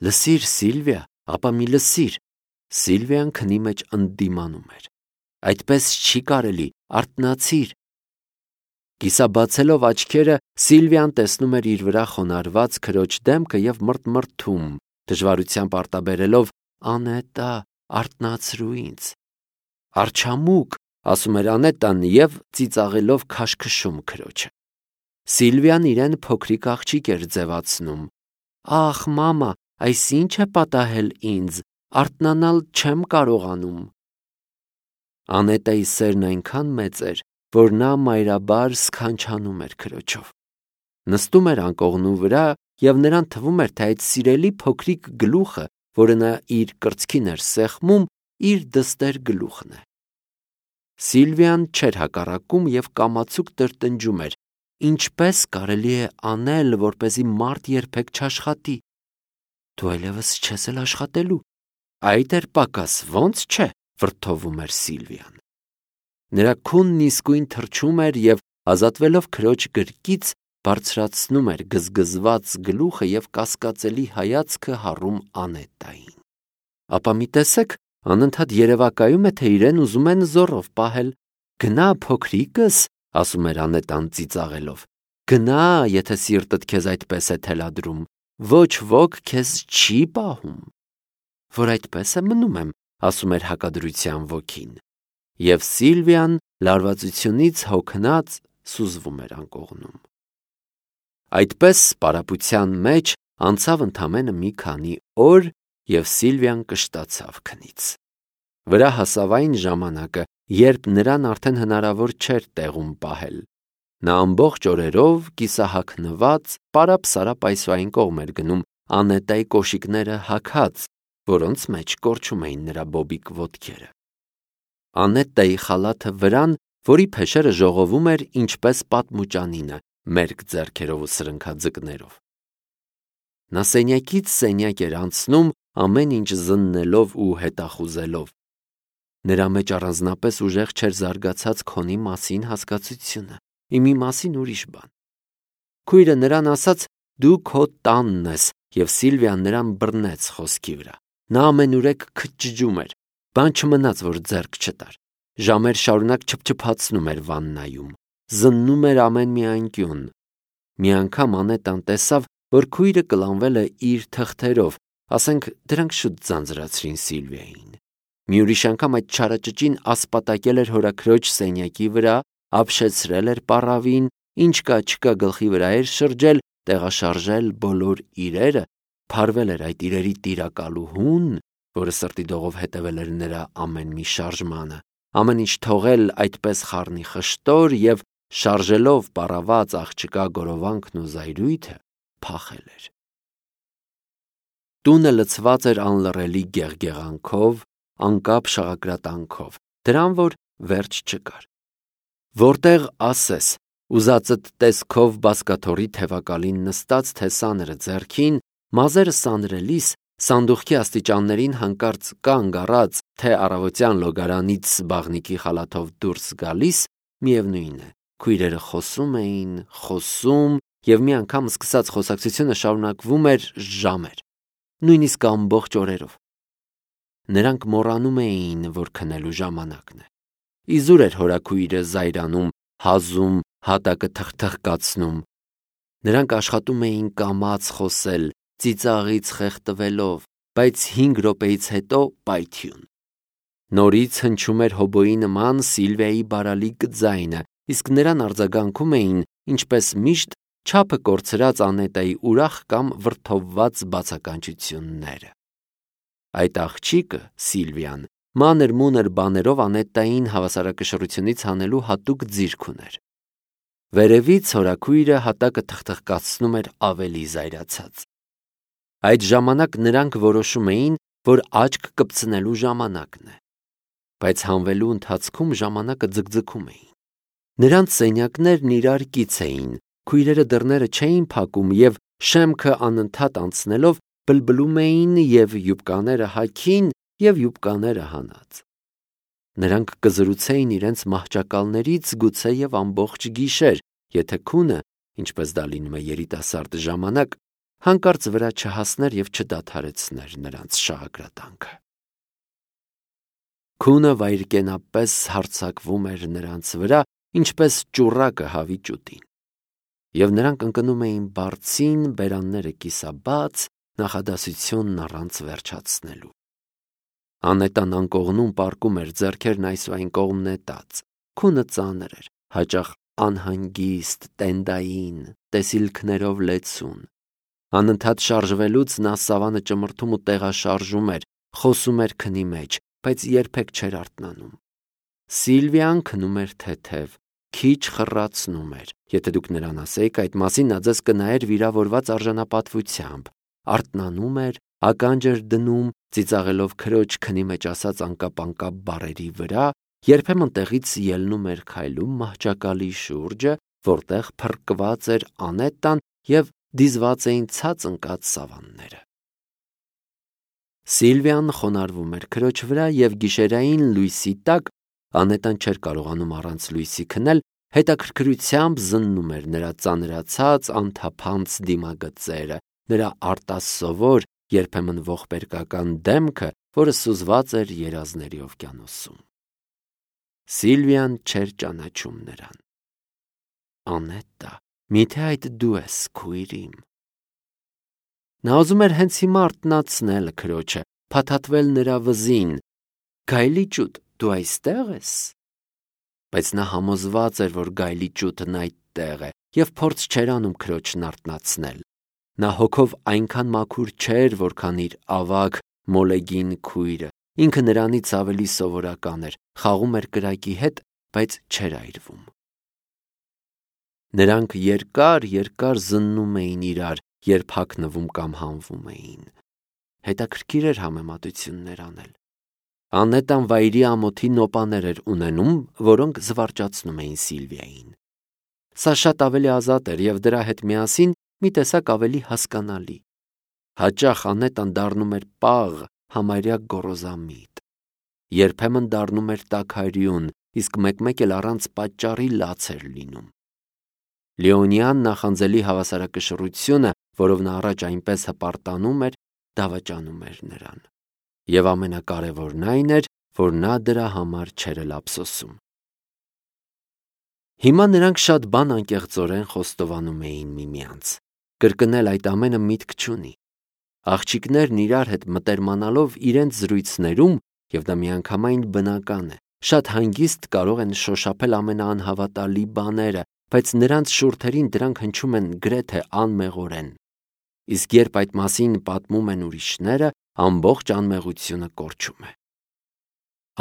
Լսիր, Սիլվիա, ապա մի լսիր։ Սիլվիան քնի մեջ ընդդիմանում էր։ Այդպես չի կարելի, արթնացիր։ Կիսաբացելով աչքերը, Սիլվիան տեսնում էր իր վրա խոնարհված քրոջ դեմքը և մռթմռթում, դժվարությամբ արտաբերելով. «Անետա, արթնացրու ինձ»։ «Արջամուկ», ասում էր Անետան և ծիծաղելով քաշքշում քրոջը։ Սիլվիան իրեն փոքրիկ աղջիկ էր ձևացնում։ «Ախ, մամա, այս ի՞նչ է պատահել ինձ, արթնանալ չեմ կարողանում»։ Անետայի սերն այնքան մեծ էր, որ նա մայրաբար սքանչանում էր քրոջով։ Նստում էր անկողնու վրա և նրան թվում էր, թե այդ սիրելի փոքրիկ գլուխը, որը նա իր կրծքին էր սեղմում, իր դստեր գլուխն է։ Սիլվիան չէր հակառակում և կամացուկ տրտնջում էր. «Ինչպե՞ս կարելի է անել, որպեսզի մարդ երբեք չաշխատի»։ «Դու այլևս չես էլ աշխատելու»։ «Այդ էր պակաս, ո՞նց չէ», վրդովում էր Սիլվիան։ Նրա քունն իսկույն թրջում էր և, ազատվելով քրոջ գրկից, բարձրացնում էր գզգզված գլուխը և կասկածելի հայացքը հառում Անետային։ Ապա մի տեսեք, անընդհատ երևակայում է, թե իրեն ուզում են զոռով պահել։ «Գնա, փոքրիկս», ասում էր Անետան ծիծաղելով, «գնա, եթե սիրտդ քեզ այդպես է թելադրում, ոչ ոք քեզ չի պահում»։ «Որ այդպես է մնում եմ», ասում էր հակադրության ոգին։ Եվ Սիլվիան լարվածությունից հոգնած սուզվում էր անկողնում։ Այդպես պարապության մեջ անցավ ընդամենը մի քանի օր, և Սիլվիան կշտացավ քնից։ Վրա հասավ այն ժամանակը, երբ նրան արդեն հնարավոր չէր տեղում պահել։ Նա ամբողջ օրերով կիսահագնված պարապ-սարապ այսուայն կողմ էր գնում, Անետայի կոշիկները հագած, որոնց մեջ կորչում էին նրա բոբիկ ոտքերը։ Անետայի խալաթը վրան, որի փեշերը ժողովում էր ինչպես պատմուճանինը, մերկ ձեռքերով ու սրընքաձկներով։ Նա սենյակից սենյակ էր անցնում, ամեն ինչ զննելով ու հետախուզելով։ Նրա մեջ առանձնապես ուժեղ չէր զարգացած քոնի մասին հասկացությունը, իմի մասին ուրիշ բան։ Քույրը նրան ասաց. «Դու քո տանն ես», և Սիլվիան նրան բռնեց խոսքի վրա։ Նա ամենուրեք քչջում էր, բան չմնաց, որ ձեռք չտար։ Ժամեր շարունակ չփչփացնում էր վաննայում, զննում էր ամեն մի անկյուն։ Մի անգամ Անետան տեսավ, որ քույրը կլանվել է իր թղթերով, ասենք դրանք շուտ ձանձրացրին Սիլվիային։ Մի ուրիշ անգամ այդ չարաճճին ասպատակել էր հորաքրոջ սենյակի վրա, ապշեցրել էր պառավին, ինչ կա չկա գլխի վրա էր շրջել, տեղաշարժել բոլոր իրերը, փարվել էր այդ իրերի տիրակալուհուն, որը սրտի դողով հետևել էր նրա ամեն մի շարժմանը, ամեն ինչ թողել այդպես խառնիխշտոր և, շարժելով պառաված աղջկա գորովանքն ու զայրույթը, փախել էր։ Տունը լցված էր անլռելի գեղգեղանքով, անկապ շաղակրատանքով, դրան, որ վերջ չկար։ Որտեղ ասես, ուզածդ տեսքով բազկաթոռի թևակալին նստած, թե սաները ձեռքին, մազերը սանրելիս, սանդուղքի աստիճաններին հանկարծ կանգ առած, թե առավոտյան լոգարանից բաղնիքի խալաթով դուրս գալիս, միևնույն է, քույրերը խոսում և մի անգամ սկսած խոսակցությունը շարունակվում էր ժամեր, նույնիսկ ամբողջ օրերով։ Նրանք մոռանում էին, որ քնելու ժամանակն է։ Իզուր էր հորաքույրը զայրանում, հազում, հատակը թխթխկացնում։ Նրանք աշխատում էին կամաց խոսել, ծիծաղից խեղդվելով, բայց 5 րոպեից հետո պայթյուն։ Նորից հնչում էր հոբոյի նման Սիլվիայի բարալիկ ձայնը, իսկ նրան արձագանքում էին, ինչպես միշտ, չափը կորցրած Անետայի ուրախ կամ վրդովված բացականչությունները։ Այդ աղջիկը, Սիլվիան, մանր-մունր բաներով Անետային հավասարակշռությունից հանելու հատուկ ձիրք ուներ։ Վերևից հորաքույրը հատակը թխթխկացնում էր ավելի զայրացած։ Այդ ժամանակ նրանք որոշում էին, որ աչք կպցնելու ժամանակն է, բայց հանվելու ընթացքում ժամանակը ձգձգում էին։ Նրանց սենյակներն իրար կից էին, քույրերը դռները չէին փակում և շեմքը անընդհատ անցնելով բլբլում էին և յուբկաները հագին և յուբկաները հանած։ Նրանք կզրուցեին իրենց մահճակալներից գուցե և ամբողջ գիշեր, եթե քունը, ինչպես դա լինում է երիտասարդ ժամանակ, հանկարծ վրա չհասներ և չդադարեցներ նրանց շաղակրատանքը։ Քունը վայրկենապես հարձակվում էր նրանց վրա, ինչպես ճուռակը հավի ճուտին, և նրանք ընկնում էին բարձին, բերանները կիսաբաց, նախադասությունն առանց վերջացնելու։ Անետան անկողնում պառկում էր, ձեռքերն այս ու այն կողմ նետած, քունը ծանր էր, հաճախ անհանգիստ, տենդային, տեսիլքներով լեցուն։ Անընդհատ շարժվելուց նա սավանը ճմրթում ու տեղաշարժում էր, խոսում էր քնի մեջ, բայց երբեք չէր արթնանում։ Սիլվիան քնում էր թեթև, քիչ խռացնում էր։ Եթե դուք նրան ասեիք այդ մասին, նա ձեզ կնայեր վիրավորված արժանապատվությամբ, արթնանում էր, ականջ էր դնում, ծիծաղելով քրոջ քնի մեջ ասած անկապ-անկապ բառերի վրա, երբեմն տեղից ելնում էր քայլում մահճակալի շուրջը, որտեղ փռկված էր Անետան և դիզված էին ցած ընկած սավանները։ Սիլվիան խոնարհվում էր քրոջ վրա և գիշերային լույսի տակ, Անետան չէր կարողանում առանց լույսի քնել, հետաքրքրությամբ զննում էր նրա ծանրացած անթափանց դիմագծերը, նրա արտասովոր, երբեմն ողբերգական դեմքը, որը սուզված էր երազների օվկիանոսում։ Սիլվիան չէր ճանաչում նրան։ Անետա, միթե այդ դու ես, քույր իմ։ Նա ուզում էր հենց հիմա արթնացնել քրոջը, փաթաթվել նրա վզին։ Գայլիճուտ, դու այստեղ ես։ Բայց նա համոզված էր, որ գայլիճուտն այդտեղ է, և փորձ չէր անում քրոջն արթնացնել։ Նա հոգով այնքան մաքուր չէր, որքան իր ավագ մոլեգին քույրը, ինքը նրանից ավելի սովորական էր, խաղում էր կրակի հետ, բայց չէր այրվում։ Նրանք երկար զննում էին իրար, երբ հագնվում կամ հանվում էին։ Հետաքրքիր էր համեմատություններ անել։ Անետան վայրի ամոթի նոպաներ էր ունենում, որոնք զվարճացնում էին Սիլվիային։ Սա շատ ավելի ազատ էր և դրա հետ միասին մի տեսակ ավելի հասկանալի։ Հաճախ Անետան դառնում էր պաղ, համարյա գոռոզամիտ։ Երբեմն դառնում էր տաքարյուն, իսկ մեկ-մեկ էլ առանց պատճառի լաց էր լինում։ Լեոնյան նախանձելի հավասարակշռությունը, որով նա առաջ այնպես հպարտանում էր, դավաճանում էր նրան։ Եվ ամենակարևորն այն էր, որ նա դրա համար չէր էլ ափսոսում։ Հիմա նրանք շատ բան անկեղծորեն խոստովանում էին միմյանց։ Կրկնել այդ ամենը միտք չունի։ Աղջիկներն իրար հետ մտերմանալով իրենց զրույցներում, և դա միանգամայն բնական է, շատ հանգիստ կարող են շոշափել ամենաանհավատալի բաները, բայց նրանց շուրթերին դրանք հնչում են գրեթե անմեղորեն։ Իսկ երբ այդ մասին պատմում են ուրիշները, ամբողջ անմեղությունը կորչում է։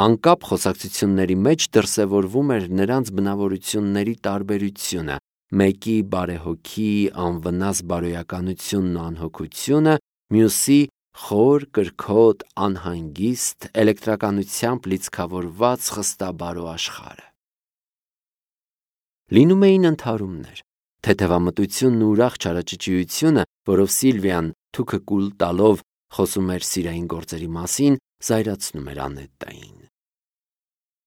Անկապ խոսակցությունների մեջ դրսևորվում էր նրանց բնավորությունների տարբերությունը, մեկի բարեհոգի, անվնաս բարոյականությունն ու անհոգությունը, մյուսի խոր, կրքոտ, անհանգիստ, էլեկտրականությամբ լիցքավորված խստաբարո աշխարհը։ Լինում էին ընդհարումներ։ Թեթևամտությունն ու ուրախ չարաճճիությունը, որով Սիլվիան թուքը կուլ տալով խոսում էր սիրային գործերի մասին, զայրացնում էր Անետային։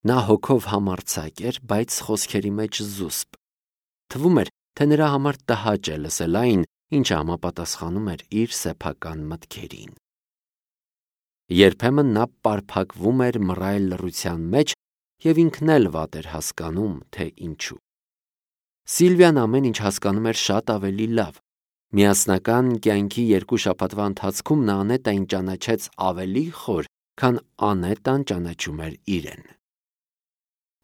Նա հոգով համարձակ էր, բայց խոսքերի մեջ զուսպ։ Թվում էր, թե նրա համար տհաճ է լսել այն, ինչը համապատասխանում էր իր սեփական մտքերին։ Երբեմն նա պարփակվում էր մռայլ լռության մեջ և ինքն էլ վատ էր հասկանում, թե ինչու։ Սիլվիան ամեն ինչ հասկանում էր շատ ավելի լավ։ Միասնական կյանքի 2 շաբաթվա ընթացքում նա Անետային ճանաչեց ավելի խոր, քան Անետան ճանաչում էր իրեն։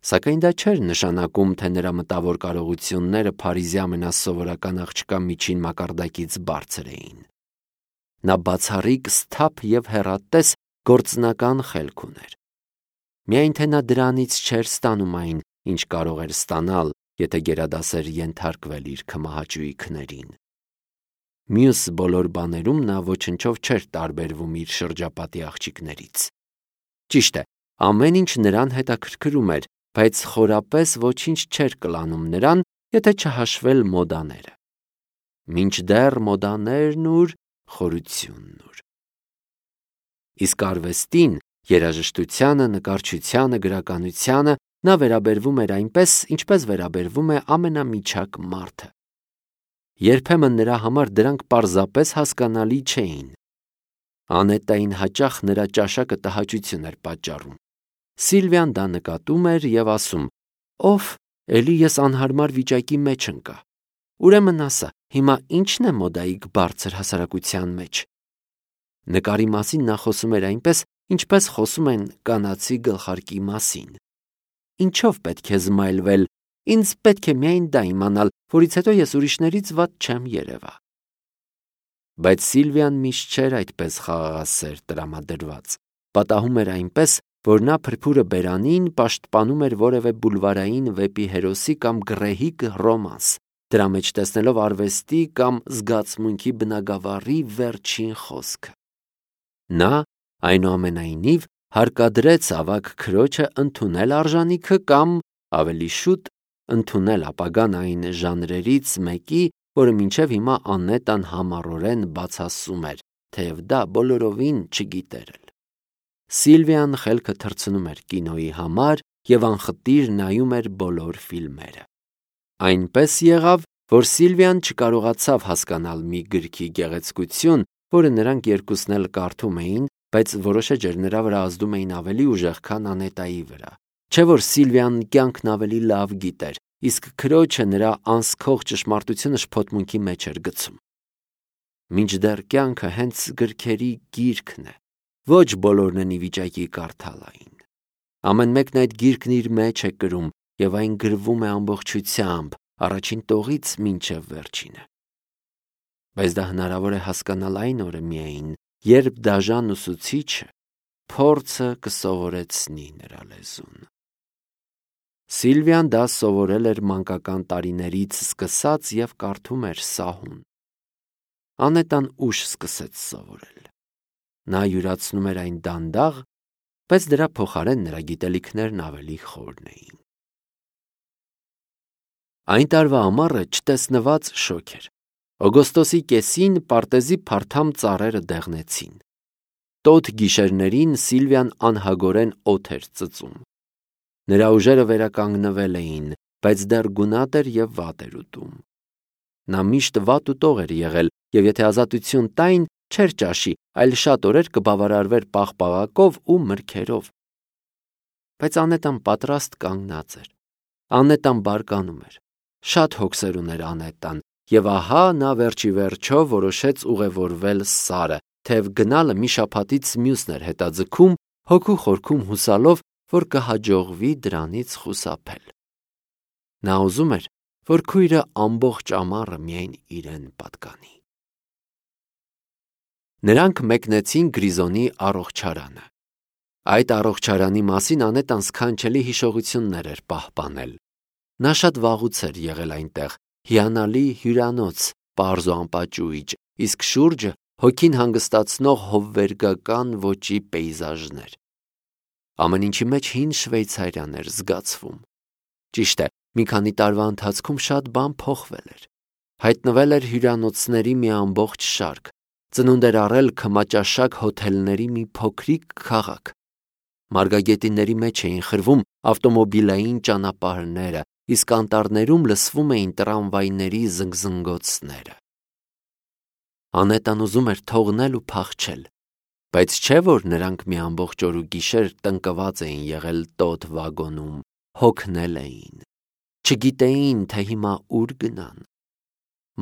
Սակայն դա չէր նշանակում, թե նրա մտավոր կարողությունները Փարիզի ամենասովորական աղջկա միջին մակարդակից բարձր էին։ Նա բացառիկ սթափ և հեռատես գործնական խելք ուներ։ Միայն թե նա դրանից չէր ստանում այն, ինչ կարող էր ստանալ, եթե գերադաս էր ենթարկվել իր քմահաճույի քներին։ Մյուս բոլոր բաներում նա ոչնչով չէր տարբերվում իր շրջապատի աղջիկներից։ Ճիշտ է, ամեն ինչ նրան հետաքրքրում էր, բայց խորապես ոչինչ չէր կլանում նրան, եթե չհաշվել մոդաները։ Մինչդեռ մոդաներն ուր, խորությունն ուր։ Իսկ արվեստին, երաժշտությանը, նկարչությանը, գրականությանը նա վերաբերվում էր այնպես, ինչպես վերաբերվում է ամենամիջակ մարդը։ Երբեմն նրա համար դրանք պարզապես հասկանալի չէին։ Անետային հաճախ նրա ճաշակը տհաճություն էր պատճառում։ Սիլվիան դա նկատում էր և ասում. «Ով, էլի ես անհարմար վիճակի մեջ ընկա։ Ուրեմն ասա, հիմա ի՞նչն է մոդայիկ բարձր հասարակության մեջ»։ Նկարի մասին նա խոսում էր այնպես, ինչպես խոսում են կանացի գլխարկի մասին։ Ինչով պետք է զմայլվել, ինձ պետք է միայն դա իմանալ, որից հետո ես ուրիշներից վատ չեմ երևա։ Բայց Սիլվիան միշտ չէր այդպես խաղաղասեր տրամադրված։ Պատահում էր այնպես, որ նա փրփուրը բերանին պաշտպանում էր որևէ բուլվարային վեպի հերոսի կամ գռեհիկ ռոմանս, դրա մեջ տեսնելով արվեստի կամ զգացմունքի բնագավառի վերջին խոսքը։ Նա, այնուամենայնիվ, հարկադրեց ավագ քրոջը ընդունել արժանիքը կամ, ավելի շուտ, ընդունել ապագան այն ժանրերից մեկի, որը մինչև հիմա Անետան համառորեն բացասում էր, թեև դա բոլորովին չգիտեր էլ։ Սիլվիան խելքը թռցնում էր կինոյի համար և անխտիր նայում էր բոլոր ֆիլմերը։ Այնպես եղավ, որ Սիլվիան չկարողացավ հասկանալ մի գրքի գեղեցկություն, որը նրանք երկուսն էլ կարդում էին, բայց որոշ էջեր նրա վրա ազդում էին ավելի ուժեղ, քան Անետայի վրա։ Չէ՞ որ Սիլվիան կյանքն ավելի լավ գիտեր, իսկ քրոջը նրա անսքող ճշմարտությունը շփոթմունքի մեջ էր գցում։ Մինչդեռ կյանքը հենց գրքերի գիրքն է, ոչ բոլորն են ի վիճակի կարդալ այն։ Ամեն մեկն այդ գիրքն իր մեջ է կրում, և այն գրվում է ամբողջությամբ, առաջին տողից մինչև վերջինը։ Բայց դա հնարավոր է հասկանալ այն օրը միայն, երբ դաժան ուսուցիչը փորձը կսովորեցնի նրա լեզուն։ Սիլվիան դա սովորել էր մանկական տարիներից սկսած և կարդում էր սահուն։ Անետան ուշ սկսեց սովորել։ Նա յուրացնում էր այն դանդաղ, բայց դրա փոխարեն նրա գիտելիքներն ավելի խորն էին։ Այն տարվա ամառը չտեսնված շոգ էր։ Օգոստոսի կեսին պարտեզի փարթամ ծառերը դեղնեցին։ Տոթ գիշերներին Սիլվիան անհագորեն օդ էր ծծում։ Նրա ուժերը վերականգնվել էին, բայց դեռ գունատ էր և վատ էր ուտում։ Նա միշտ վատ ուտող էր եղել, և եթե ազատություն տային, չէր ճաշի, այլ շատ օրեր կբավարարվեր պաղպաղակով ու մրգերով։ Բայց Անետան պատրաստ կանգնած էր։ Անետան բարկանում էր։ Շատ հոգսեր ուներ Անետան, և ահա նա վերջիվերջո որոշեց ուղևորվել Սարը, թեև գնալը մի շաբաթից մյուսն էր հետաձգում, հոգու խորքում հուսալով, որ կհաջողվի դրանից խուսափել։ Նա ուզում էր, որ քույրը ամբողջ ամառը միայն իրեն պատկանի։ Նրանք մեկնեցին Գրիզոնի առողջարանը։ Այդ առողջարանի մասին Անետան սքանչելի հիշողություններ էր պահպանել։ Նա շատ վաղուց էր եղել այնտեղ, հիանալի հյուրանոց, պարզ ու անպաճույճ, իսկ շուրջը հոգին հանգստացնող հովվերգական ոճի պեյզաժներ։ Ամեն ինչի մեջ հին Շվեյցարիան էր զգացվում։ Ճիշտ է, մի քանի տարվա ընթացքում շատ բան փոխվել էր։ Հայտնվել էր հյուրանոցների մի ամբողջ շարք, ծնունդ էր առել քմաճաշակ հոթելների մի փոքրիկ քաղաք։ Մարգագետինների մեջ էին խրվում ավտոմոբիլային ճանապարհները, իսկ անտառներում լսվում էին տրամվայների զնգզնգոցները։ Անետան ուզում էր թողնել ու փախչել, բայց չէ՞ որ նրանք մի ամբողջ օր ու գիշեր տնկված էին եղել տոթ վագոնում, հոգնել էին, չգիտեին, թե հիմա ուր գնան։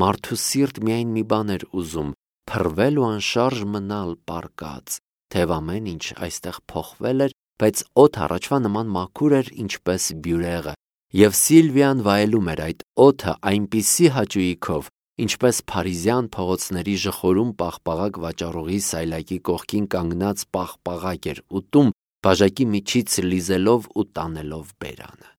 Մարդու սիրտ միայն մի բան էր ուզում՝ փռվել ու անշարժ մնալ պառկած, թեև ամեն ինչ այստեղ փոխվել էր, բայց օդը առաջվա նման մաքուր էր, ինչպես բյուրեղը, և Սիլվիան վայելում էր այդ օդը այնպիսի հաճույքով, ինչպես փարիզյան փողոցների ժխորում պաղպաղակ վաճառողի սայլակի կողքին կանգնած պաղպաղակ էր ուտում, բաժակի միջից լիզելով ու տանելով բերանը։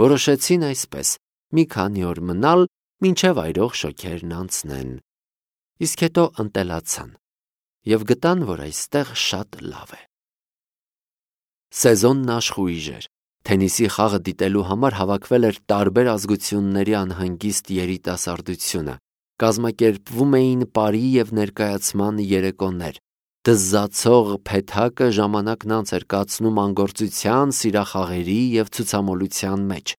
Որոշեցին այսպես մի քանի օր մնալ, մինչև այրող շոգերն անցնեն, իսկ հետո ընտելացան և գտան, որ այստեղ շատ լավ է։ Սեզոնն աշխույժ էր։ Թենիսի խաղը դիտելու համար հավաքվել էր տարբեր ազգությունների անհանգիստ երիտասարդությունը, կազմակերպվում էին պարի և ներկայացման երեկոներ, դզզացող փեթակը ժամանակն անց էր կացնում անգործության, սիրախաղերի և ցուցամոլության մեջ։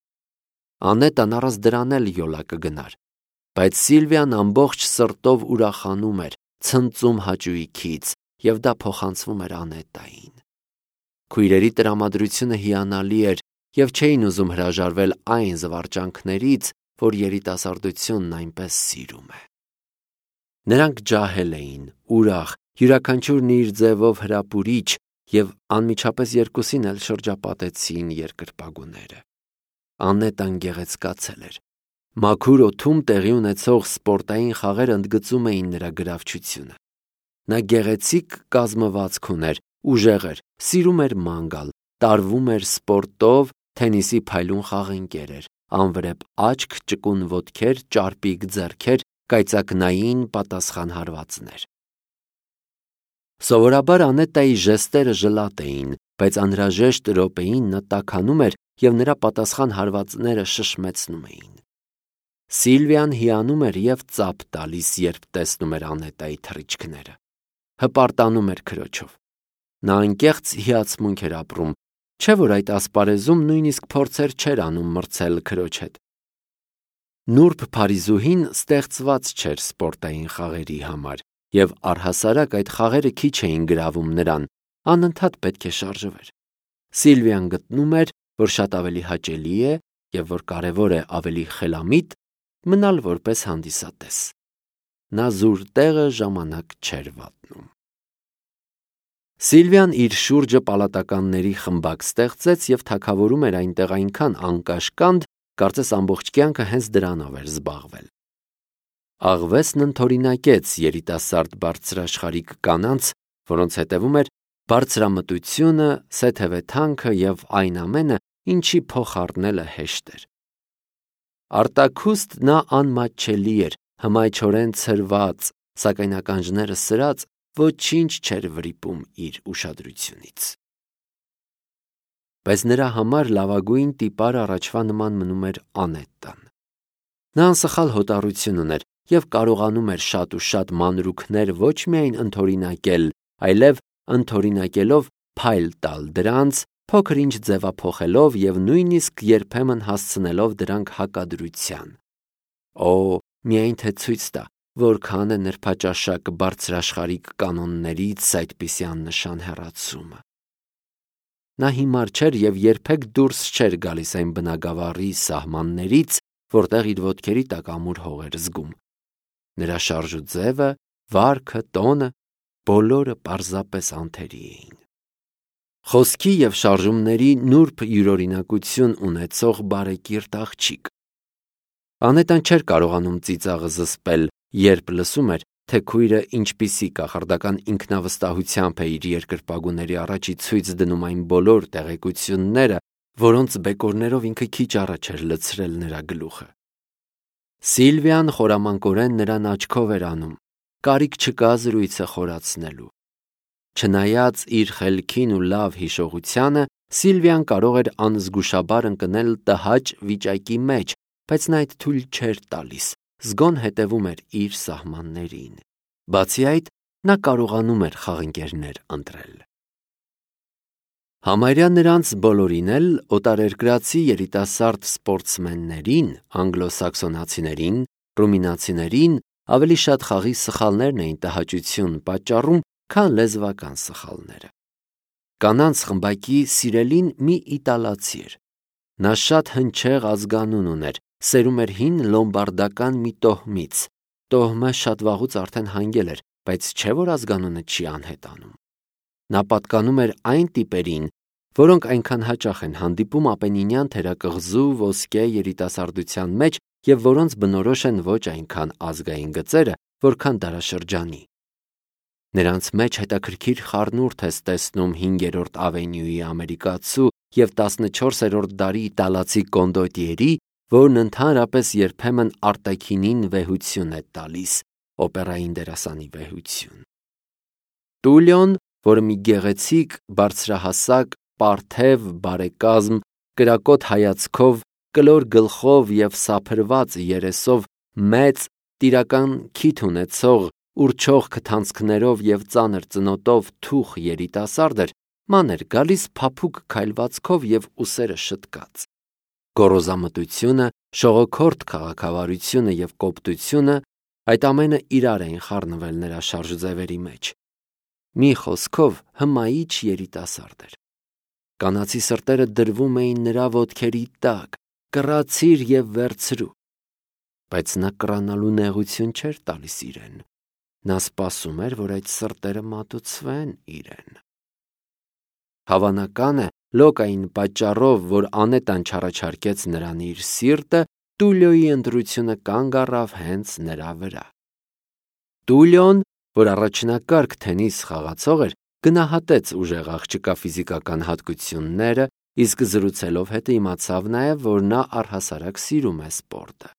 Անետան առանց դրան էլ յոլա կգնար։ բայց Սիլվիան ամբողջ սրտով ուրախանում էր, ցնծում հաճույքից, եւ դա փոխանցվում էր Անետային։ Քույրերի տրամադրությունը հիանալի էր եւ չէին ուզում հրաժարվել այն զվարճանքներից, որ երիտասարդությունն այնպես սիրում է։ Նրանք ջահել էին, ուրախ, յուրաքանչյուրն իր ձևով հրապուրիչ, եւ անմիջապես երկուսին էլ շրջապատեցին երկրպագուները։ Անետան գեղեցկացել էր։ Մաքուր օդում տեղի ունեցող սպորտային խաղերը ընդգծում էին նրա գրավչությունը։ Նա գեղեցիկ կազմվածք ուներ, ուժեղ էր, սիրում էր ման գալ, տարվում էր սպորտով, թենիսի փայլուն խաղընկեր էր, անվրեպ աչք, ճկուն ոտքեր, ճարպիկ ձեռքեր, կայծակնային պատասխան հարվածներ։ Սովորաբար Անետայի ժեստերը ժլատ էին, բայց անհրաժեշտ րոպեին նա տաքանում էր եւ նրա պատասխան հարվածները շշմեցնում էին։ Սիլվիան հիանում էր եւ ծափ տալիս, երբ տեսնում էր Անետայի թռիչքները։ Հպարտանում էր քրոջով։ Նա անկեղծ հիացմունք էր ապրում, չէ՞ որ այդ ասպարեզում նույնիսկ փորձեր չէր անում մրցել քրոջ հետ։ Նուրբ Փարիզուհին ստեղծված չէր սպորտային խաղերի համար, եւ առհասարակ այդ խաղերը քիչ էին գրավում նրան, անընդհատ պետք է շարժվեր։ Սիլվիան գտնում էր, որ շատ ավելի հաճելի է եւ որ կարեւոր է ավելի խելամիտ մնալ որպես հանդիսատես։ Նա զուր տեղը ժամանակ չէր վատնում։ Սիլվիան իր շուրջը պալատականների խմբակ ստեղծեց եւ թագավորում էր այնտեղ այնքան անկաշկանդ, կարծես ամբողջ կյանքը հենց դրանով էր զբաղվել։ Աղվեսն ընդօրինակեց երիտասարդ բարձրաշխարհիկ կանանց, որոնց հետևում էր բարձրամտությունը, սեթևեթանքը եւ այն ամենը, ինչի փոխառնելը հեշտ էր։ Արտաքուստ նա անմատչելի էր, հմայչորեն ցրված, սակայն ականջները սրած ոչինչ չէր վրիպում իր ուշադրությունից։ Բայց նրա համար լավագույն տիպարը առաջվա նման մնում էր Անետան։ Նա անսխալ հոտառություն ուներ եւ կարողանում էր շատ ու շատ մանրուքներ ոչ միայն ընդօրինակել, այլև ընդօրինակելով փայլ տալ դրանց, փոքր-ինչ ձևափոխելով եւ նույնիսկ երբեմն հասցնելով դրանք հակադրության։ Օ, միայն թե ցույց տա, որքան է նրբաճաշակ բարձրաշխարհիկ կանոններից այդպիսի աննշան հեռացումը։ Նա հիմար չէր եւ երբեք դուրս չէր գալիս այն բնագավառի սահմաններից, որտեղ իր ոտքերի տակ ամուր հող էր զգում։ Նրա շարժու ձևը, վարքը, տոնը բոլորը պարզապես անթերի էին։ Խոսքի եւ շարժումների նուրբ յուրօրինակություն ունեցող բարեկիրթ աղջիկ։ Անետան չէր կարողանում ծիծաղը զսպել, երբ լսում էր, թե քույրը ինչպիսի կախարդական ինքնավստահությամբ է իր երկրպագուների առաջի ցույց դնում այն բոլոր տեղեկությունները, որոնց բեկորներով ինքը քիչ առաջ էր լցրել նրա գլուխը։ Սիլվիան խորամանկորեն նրան աչքով էր անում, կարիք չկա զրույցը խորացնելու։ Չնայած իր խելքին ու լավ հիշողությանը, Սիլվիան կարող էր անզգուշաբար ընկնել տհաճ վիճակի մեջ, բայց նա այդ թույլ չէր տալիս, զգոն հետևում էր իր սահմաններին։ Բացի այդ, նա կարողանում էր խաղընկերներ ընտրել։ Համարյա նրանց բոլորին էլ օտարերկրացի երիտասարդ սպորտսմեններին, անգլոսաքսոնացիներին, ռումինացիներին ավելի շատ խաղի սխալներն էին տհաճություն պատճառում, քան լեզվական սխալները։ Կանանց խմբակի սիրելին մի իտալացի էր։ Նա շատ հնչեղ ազգանուն ուներ, սերում էր հին լոմբարդական մի տոհմից։ Տոհմը շատ վաղուց արդեն հանգել էր, բայց չէ որ ազգանունը չի անհետանում։ Նա պատկանում էր այն տիպերին, որոնք այնքան հաճախ են հանդիպում ապենինյան թերակղզու ոսկե երիտասարդության մեջ եւ որոնց բնորոշ են ոչ այնքան ազգային գծերը, որքան դարաշրջանի։ Նրանց մեջ հետաքրքիր խառնուրդ ես տեսնում 5-րդ ավենյուի ամերիկացու եւ 14-րդ դարի իտալացի կոնդոտիերի, որն ընդհանրապես երբեմն արտաքինին վեհություն է տալիս, օպերային դերասանի վեհություն։ Տուլիոն, որը մի գեղեցիկ, բարձրահասակ, պարթև, բարեկազմ, կրակոտ հայացքով, կլոր գլխով եւ սափրված երեսով մեծ, տիրական քիթ ունեցող, ուրչող քթանցքներով եւ ծանր ծնոտով թուխ երիտասարդ էր, ման էր գալիս փափուկ քայլվածքով եւ ուսերը շտկած։ Գոռոզամտությունը, շողոքորթ քաղաքավարությունը եւ կոպտությունը այդ ամենը իրար էին խառնվել նրա շարժուձևերի մեջ։ Մի խոսքով հմայիչ երիտասարդ էր։ Կանացի սրտերը դրվում էին նրա ոտքերի տակ, կռացիր եւ վերցրու։ Բայց նա կռանալու նեղություն չէր տալիս իրեն։ Նա սպասում էր, որ այդ սրտերը մատուցվեն իրեն։ Հավանական է, Լոկային պատճառով, որ Անետան չառաջարկեց նրան իր սիրտը, Տուլիոյի ընտրությունը կանգ առավ հենց նրա վրա։ Տուլիոն, որ առաջնակարգ թենիս խաղացող էր, գնահատեց ուժեղ աղջկա ֆիզիկական հատկությունները, իսկ զրուցելով հետը իմացավ նաև, որ նա առհասարակ սիրում է սպորտը։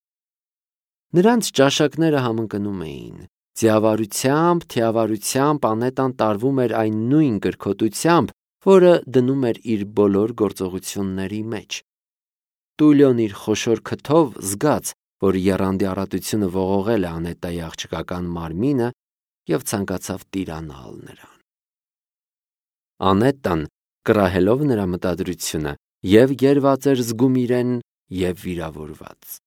Նրանց ճաշակները համընկնում էին։ Թիավարությամբ Անետան տարվում էր այն նույն կրքոտությամբ, որը դնում էր իր բոլոր գործողությունների մեջ։ Տուլիոն իր խոշոր քթով զգաց, որ եռանդի առատությունը ողողել է Անետայի աղջկական մարմինը և ցանկացավ տիրանալ նրան։ Անետան, կռահելով նրա մտադրությունը, և գերված էր զգում իրեն, և վիրավորված։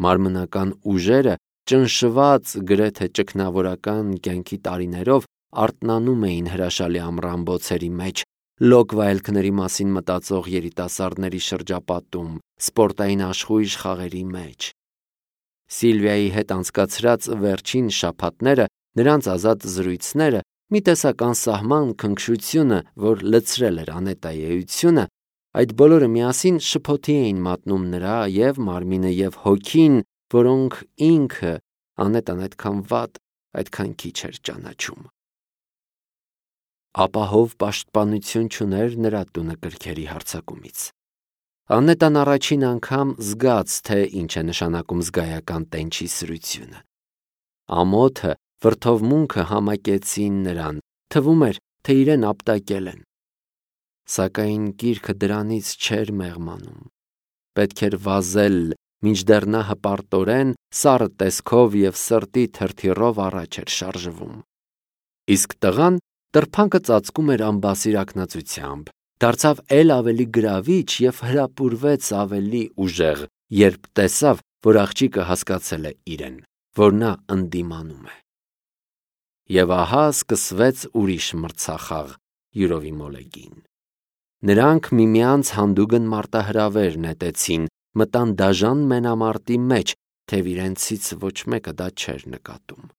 Մարմնական ուժերը, ճնշված գրեթե ճգնավորական կյանքի տարիներով, արթնանում էին հրաշալի ամռանբոցերի մեջ, լոկ վայելքների մասին մտածող երիտասարդների շրջապատում, սպորտային աշխույժ խաղերի մեջ։ Սիլվիայի հետ անցկացրած վերջին շաբաթները, նրանց ազատ զրույցները, մի տեսակ անսահման քնքշությունը, որ լցրել էր Անետայի էությունը, այդ բոլորը միասին շփոթի էին մատնում նրա և մարմինը և հոգին, որոնք ինքը Անետան այդքան վատ, այդքան քիչ էր ճանաչում։ Ապահով պաշտպանություն չուներ նրա տունը կրքերի հարձակումից։ Անետան առաջին անգամ զգաց, թե ինչ է նշանակում զգայական տենչի սրությունը։ Ամոթը, վրդովմունքը համակեցին նրան, թվում էր, թե իրեն ապտակել են։ Սակայն գիրքը դրանից չէր մեղմանում։ Պետք էր վազել, մինչդեռ նա հպարտորեն, սառը տեսքով և սրտի թրթիռով առաջ էր շարժվում։ Իսկ տղան տրփանկը ծածկում էր անբասիր ակնածությամբ, դարձավ էլ ավելի գրավիչ և հրապուրվեց ավելի ուժեղ, երբ տեսավ, որ աղջիկը հասկացել է իրեն, որ նա ընդդիմանում է։ Եվ ահա սկսվեց ուրիշ մրցախաղ յուրովի մոլեգին։ Նրանք միմյանց հանդուգն մարտահրավեր նետեցին, մտան դաժան մենամարտի մեջ, թեև իրենցից ոչ մեկը դա չէր նկատում։